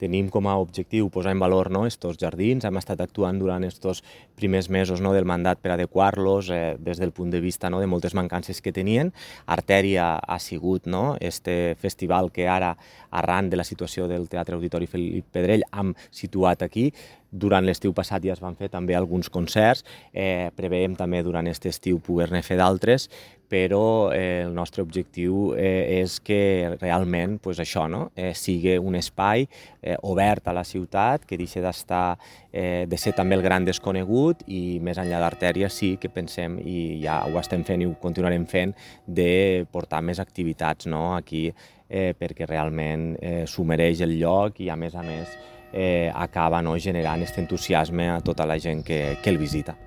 tenim com a objectiu posar en valor estos jardins. Hem estat actuant durant estos primers mesos del mandat per adequar-los des del punt de vista de moltes mancances que tenien. Artèria ha sigut este festival que ara, arran de la situació del Teatre Auditori Felip Pedrell, hem situat aquí. Durant l'estiu passat ja es van fer també alguns concerts, preveiem també durant aquest estiu poder-ne fer d'altres, però el nostre objectiu és que realment això sigui un espai obert a la ciutat, que deixi de ser també el gran desconegut i més enllà d'Artèria sí que pensem, i ja ho estem fent i ho continuarem fent, de portar més activitats aquí perquè realment s'ho mereix el lloc i a més acaba generant aquest entusiasme a tota la gent que el visita.